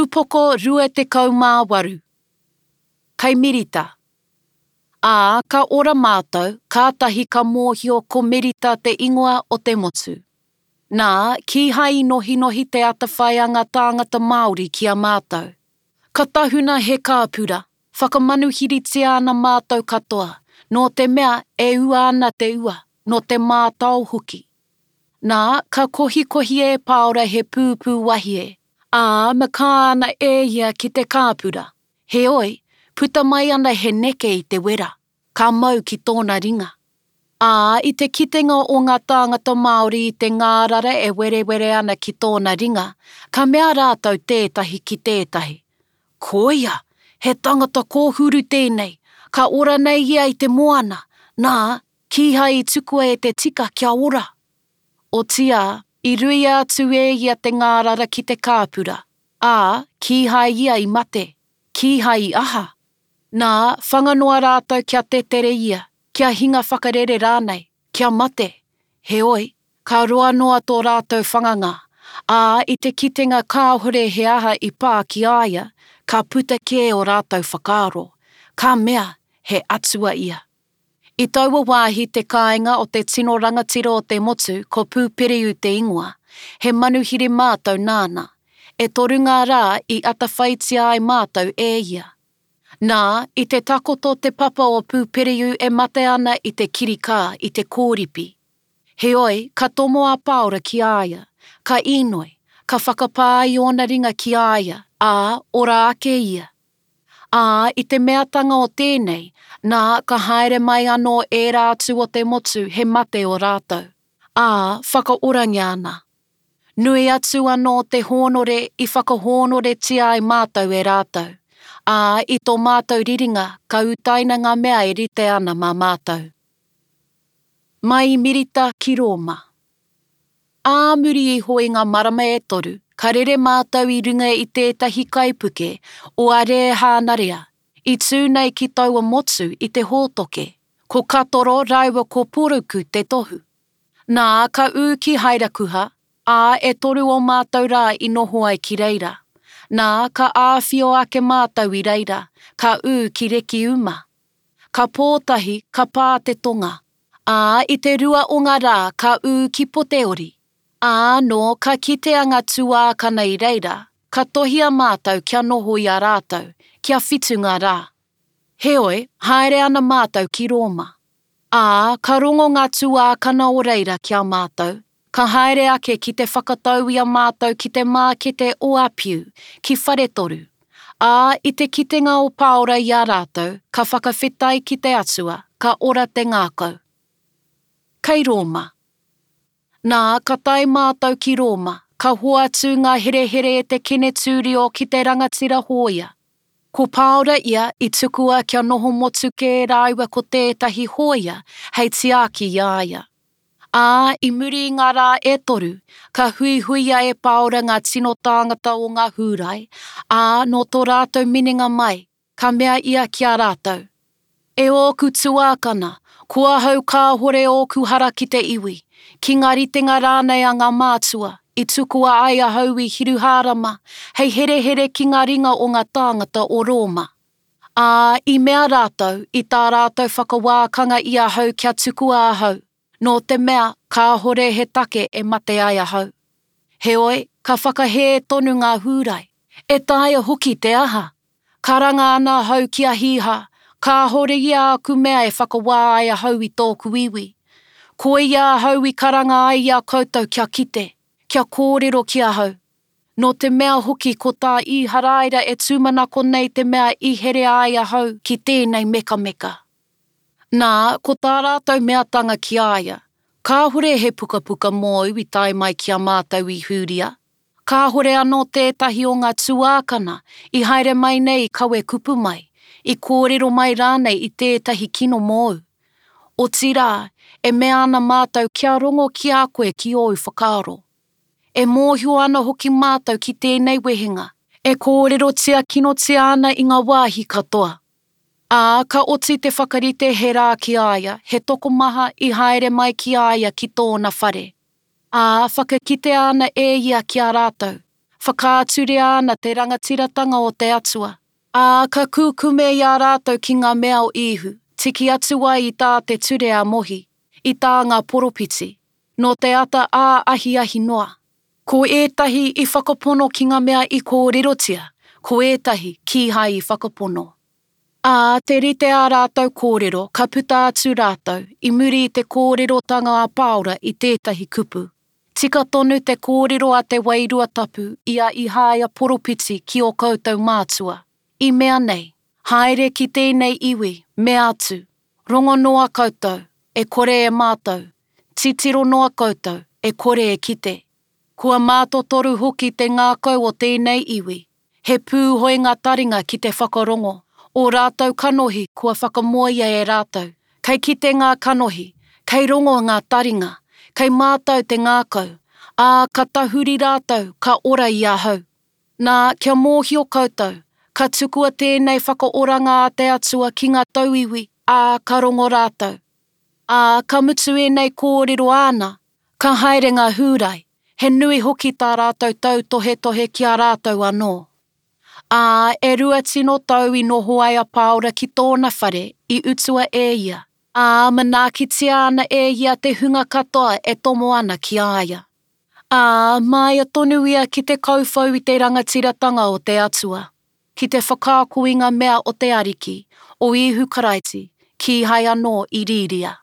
Upoko 28. Kei Merita. Ā, ka ora mātou, kātahi ka mōhio ko Merita te ingoa o te motu. Nā, kīhai i nohinohi te atawhai a ngā tāngata Māori ki a mātou. Ka tahuna he kāpura, whakamanuhiritia ana mātou katoa, nō te mea e ua ana te ua, nō te mātao hoki. Nā, ka kohikohia e Pāora he pūpū wahie, ā, makā ana e ia ki te kāpura. Heoi, puta mai ana he neke i te wera, ka mau ki tōna ringa. Ā, i te kitenga o ngā tāngata Māori i te ngārara e werewere ana ki tōna ringa, ka mea rātou tētahi ki tētahi, Koia, he tangata kōhuru tēnei, ka ora nei ia i te moana, nā, Kīhai i tukua e te tika kia ora. Otiā, i ruia atu e ia te ngārara ki te kāpura, ā, kīhai ia i mate, kīhai i aha. Nā, whanga noa rātou kia tetere ia, kia hinga whakarere rānei, kia mate. Heoi, ka roa noa tō rātou whanganga, ā, i te kitenga kāhore he aha i pā ki a ia, ka puta kē ō rātou whakaaro, ka mea, he atua ia. I taua wāhi te kāinga o te tino rangatira o te motu ko Pūperiu te ingoa, he manuhiri mātou nāna. E toru ngā rā i atawhaitia ai mātou e ia. Nā, i te takoto te papa o Pūperiu e mate ana i te kirikā, i te kōripi. Heoi, ka tomo a Pāora ki a ia, ka īnoi, ka whakapā i ōna ringa ki a ia, ā, ora ake ia. Ā, i te meatanga o tēnei, nā, ka haere mai anō ērā atu o te motu he mate ō rātou, ā, whakaorangia ana. Nui atu anō te hōnore i whakahōnoretia ai mātou e rātou, ā, i tō mātou riringa ka utaina ngā mea e rite ana mā mātou. Mai i Mirita ki Rōma. Ā muri iho i ngā marama e toru, ka rere mātou i runga i tētahi kaipuke o Arēhānarea, i tū nei ki taua motu i te hōtoke, ko Katoro rāua ko Poruku te tohu. Nā, ka ū ki Hairakuha, ā, e toru ō mātou rā i noho ai ki reira. Nā, ka āwhio ake mātou i reira, ka ū ki Rekiuma. Ka pō tahi, ka pā te tonga. Ā, i te rua o ngā rā ka ū ki Poteori. Ā, nō ka kitea ngā tuākana i reira, ka tohia mātou kia noho i a rātou, kia whitu ngā rā. Heoi, haere ana mātou ki Rōma. Ā, ka rongo ngā tuākana o reira ki a mātou, ka haere ake ki te whakatau i a mātou ki te mākete o Apiu, ki Wharetoru. Ā, i te kitenga o Pāora i a rātou, ka whakawhetai ki te Atua, ka ora te ngākau. Kei Rōma. Nā, ka tae mātou ki Rōma, ka hoatu ngā herehere e te Kenetūrio ki te rangatira hōia. Ko Pāora ia i tukua kia noho motu kē rāua ko tētahi hōia hei tiaki i a ia. Ā, i muri i ngā rā e toru, ka huihuia e Pāora ngā tino tāngata o ngā Hūrai, ā, nō tō rātou minenga mai, ka mea ia ki a rātou, E ōku tuākana, ko ahau kāhore ōku hara ki te iwi, ki ngā ritenga rānei a ngā mātua, i tukua ai ahau i Hiruhārama hei herehere ki ngā ringa o ngā tāngata o Rōma. Ā, i mea rātou, i tā rātou whakawākanga i ahau kia tukua ahau, nō te mea kāhore he take e mate ai ahau. Heoi, ka whakahē tonu ngā Hūrai, E taea hoki te aha? Karanga ana ahau ki a Hīha, kāhore ia āku mea e whakawā ai ahau i tōku iwi. Koia ahau i karanga ai i a koutou kia kite, kia kōrero ki ahau. Nō te mea hoki ko tā Īharaira e tūmanako nei te mea i herea ai ahau ki tēnei mekameka. Nā, ko tā rātou meatanga ki a ia, Kāhore he pukapuka mōu i tae mai ki a mātou i Hūria, kāhore anō tētahi o ngā tuākana i haere mai nei i kawe kupu mai, i kōrero mai rānei i tētahi kino mōu. Otirā, e mea ana mātou kia rongo ki a koe ki ōu whakaaro. E mōhio ana hoki mātou ki tēnei wehenga, e kōrerotia kinotia ana i ngā wāhi katoa. Ā, ka oti te whakarite he rā ki a ia, he tokomaha i haere mai ki a ia ki tōna whare. Ā, whakakitea ana e ia ki a rātou. Whakaaturia ana te rangatiratanga o te Atua. Ā, ka kūkume i a rātou ki ngā mea o Īhu, tiki atu ai i tā te ture a Mohi, i tā ngā poropiti, nō te ata ā ahiahi noa. Ko ētahi i whakapono ki ngā mea i kōrerotia, ko ētahi kīhai i whakapono. Ā, te rite ā rātou kōrero, ka puta atu rātou, i muri i te kōrerotanga a Pāora i tētahi kupu. Tika tonu te kōrero a te Wairua Tapu i a Ihāia poropiti ki ō koutou mātua, i mea nei, Haere ki tēnei iwi, mea atu, Rongo noa koutou, e kore e mātau, titiro noa koutou, e kore e kite. Kua mātotoru hoki te ngākau o tēnei iwi, He pūhoi ngā taringa ki te whakarongo, ō rātou kanohi kua whakamoea e rātou. Kei kite ngā kanohi, kei rongo ngā taringa, kei mātau te ngākau, ā, ka tahuri rātou, ka ora i ahau. Nā, kia mōhio koutou, ka tukua tēnei whakaoranga a te Atua ki ngā tauiwi, ā, ka rongo rātou. Ā, ka mutu ēnei kōrero āna, ka haere ngā Hūrai, he nui hoki tā rātou tautohetohe ki a rātou anō. Ā, e rua tino tau i noho ai a Pāora ki tōna whare i utua e ia, ā, manaakitia ana e ia te hunga katoa e tomo ana ki a ia. Ā, māia tonu ia ki te kauwhau i te rangatiratanga o te Atua, ki te whakaako i ngā mea o te Ariki, o Īhu Karaiti, kīhai anō i rīria.